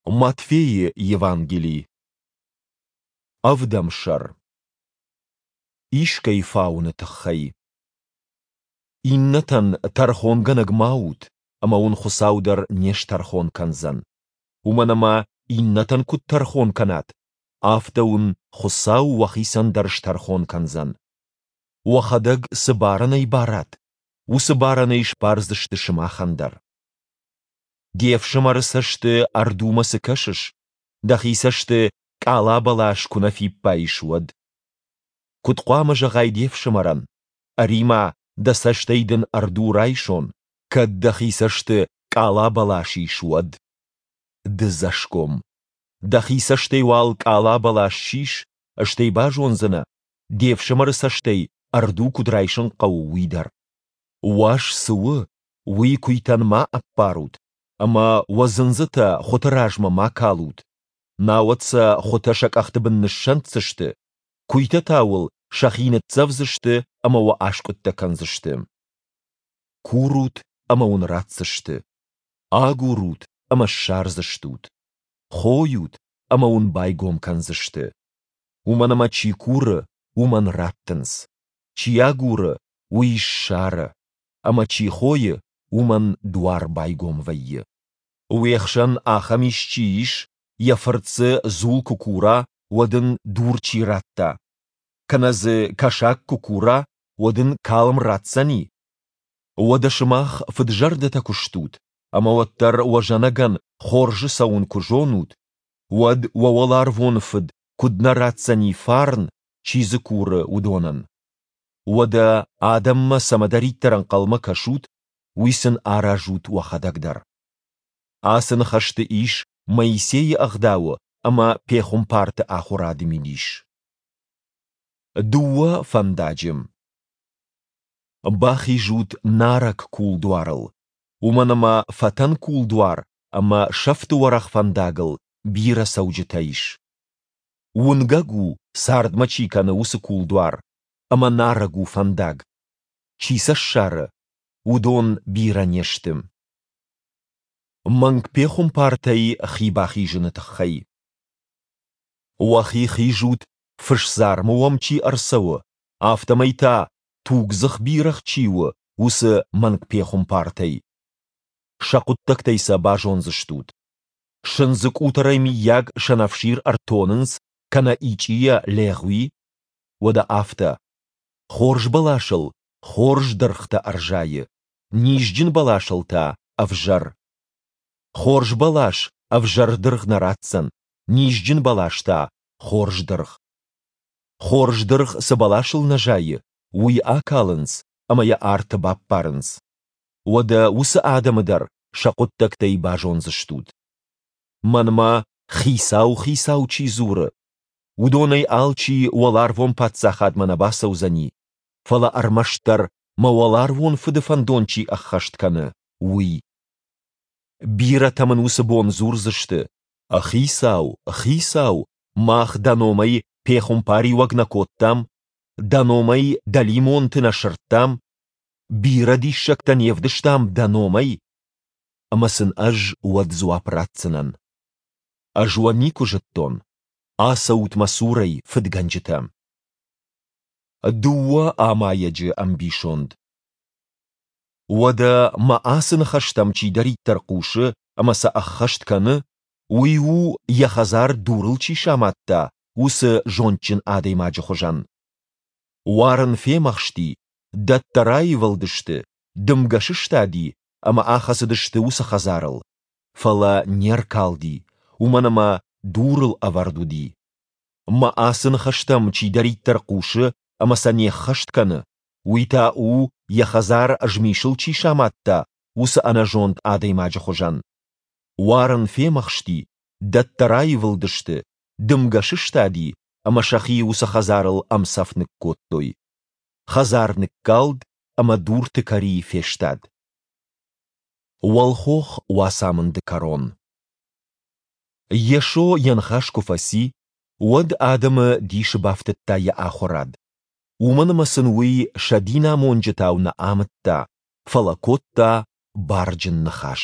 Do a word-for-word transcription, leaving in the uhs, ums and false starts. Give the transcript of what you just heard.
Матфейы Евангели, ӕвдӕм сӕр. Искӕй фауыны тыххӕй. Иннӕтӕн тӕрхонгӕнӕг ма ут, ӕмӕ уын Хуыцау дӕр не стӕрхон кӕндзӕн. Уымӕн ӕмӕ иннӕтӕн куыд тӕрхон кӕнат, афтӕ уын Хуыцау уӕхицӕн дӕр стӕрхон кӕндзӕн. Уӕхӕдӕг цы барӕнӕй барат, уыцы барӕнӕй сбардзысты сымахӕн дӕр. Де фсымӕры цӕсты ӕрдумӕ цы кӕсыс, дӕхи цӕсты къала бӕлас куы нӕ фиппайыс, уӕд? Куыд хъуамӕ зӕгъай де фсымӕрӕн, ӕри-ма, дӕ цӕстӕй дын ӕрду райсон, кӕд дӕхи цӕсты къала бӕлас ис, уӕд? Дыдзӕсгом! Дӕхи цӕстӕй уал къала бӕлас сис, стӕй базондзынӕ, де фсымӕры цӕстӕй ӕрду куыд райсын хъӕуы, уый дӕр. Уас цы у, уый куыйтӕн ма ӕппарут, ӕмӕ уӕ дзындзытӕ хуыты размӕ ма калут, науӕд сӕ хуытӕ сӕ къӕхты бын ныссӕнддзысты, куыйтӕ та уыл сӕхи ныццӕвдзысты ӕмӕ уӕ аскъуыдтӕ кӕндзысты. Курут ӕмӕ уын ратдзысты, агурут ӕмӕ ссардзыстут, хойут ӕмӕ уын байгом кӕндзысты. Уымӕн ӕмӕ чи куры, уымӕн раттынц, чи агуры, уый ссары, ӕмӕ чи хойы, уымӕн дуар байгом вӕййы. Уе хсӕн ахӕм исчи ис, йӕ фырт дзы дзул куы кура, уӕд ын дур чи ратта? Кӕнӕ дзы кӕсаг куы кура, уӕд ын калм ратдзӕни? Уӕдӕ сымах фыдзӕрдӕтӕ куы стут, ӕмӕ уӕддӕр уӕ зӕнӕгӕн хорзы цӕуын куы зонут, уӕд уӕ уӕларвон Фыд куыд нӕ ратдзӕни фарн, чи дзы куры, уыдонӕн? Уӕдӕ адӕммӕ цӕмӕдӕриддӕр ӕнхъӕлмӕ кӕсут, уый сын аразут уӕхӕдӕг дӕр. Ацы ныхӕсты ис Моисейы Ӕгъдауы ӕмӕ пехуымпарты ахуырады мидис. Дыууӕ фӕндаджы. Бахизут нарӕг кулдуарыл, уымӕн ӕмӕ фӕтӕн кулдуар ӕмӕ сӕфты уӕрӕх фӕндагыл бирӕ цӕуджытӕ ис. Уынгӕг у, цардмӕ чи кӕны, уыцы кулдуар, ӕмӕ нарӕг у фӕндаг. Чи сӕ ссары, уыдон бирӕ не сты. Мӕнг пехуымпартӕй хи бахизыны тыххӕй. Уӕхи хизут, фысдзармы уӕм чи ӕрцӕуы, афтӕмӕй та тугдзых бирӕгъ чи у, уыцы мӕнгпехуымпартӕй. Сӕ хъуыддӕгтӕй сӕ базондзыстут. Сындзы къутӕрӕй мыййаг сӕнӕфсир ӕртонынц кӕнӕ ичъийӕ легъуи? Уӕдӕ афтӕ. Хорз бӕласыл хорз дыргътӕ ӕрзайы, низджын бӕласыл та ӕвзӕр. Хорз бӕлас ӕвзӕр дыргъ нӕ ратдзӕн, низджын бӕлас та хорз дыргъ. Хорз дыргъ цы бӕласыл нӕ зайы, уый акалынц ӕмӕ йӕ арты баппарынц. Уӕдӕ уыцы адӕмы дӕр сӕ хъуыддӕгтӕй базондзыстут. Мӕнмӕ Хицау, Хицау чи дзуры, уыдонӕй алчи уӕларвон паддзахадмӕ нӕ бацӕудзӕни, фӕлӕ ӕрмӕстдӕр мӕ уӕларвон Фыды фӕндон чи ӕххӕст кӕны, уый. Бирӕтӕ мын уыцы бон дзурдзысты: Хицау, Хицау, мах дӕ номӕй пехуымпариуӕг нӕ кодтам, дӕ номӕй дӕлимонты нӕ сырдтам, бирӕ диссӕгтӕ не вдыстам дӕ номӕй? Ӕмӕ сын ӕз уӕд дзуапп ратдзынӕн: Ӕз уӕ никуы зыдтон. Ацӕут мӕ цурӕй, фыдгӕнджытӕ. Дыууӕ амайӕджы ӕмбисонд. Уӕдӕ мӕ ацы ныхӕстӕм чидӕриддӕр хъусы ӕмӕ сӕ ӕххӕст кӕны, уый у, йӕ хӕдзар дурыл чи самадта, уыцы зондджын адӕймаджы хуызӕн. Уарын фемӕхсти, дӕттӕ раивылдысты, дымгӕ сыстади ӕмӕ ахӕцыдысты уыцы хӕдзарыл, фӕлӕ не ркалди, уымӕн ӕмӕ дурыл ӕвӕрд уыди. Мӕ ацы ныхӕстӕм чидӕриддӕр хъусы ӕмӕ сӕ не ххӕст кӕны, уый та у, йӕ хӕдзар змисыл чи самадта, уыцы ӕнӕзонд адӕймаджы хуызӕн. Уарын фемӕхсти, дӕттӕ раивылдысты, дымгӕ сыстади ӕмӕ сӕхи уыцы хӕдзарыл ӕмцӕф ныккодтой. Хӕдзар ныккалд ӕмӕ дурты кӕри фестад. Уӕлхох уацамынды кӕрон. Йесо йӕ ныхас куы фӕци, уӕд адӕмы дисы бафтыдта йӕ ахуырад. Уымӕн ӕмӕ сын уый сӕ динамонджытау нӕ амыдта, фӕлӕ кодта барджын ныхас.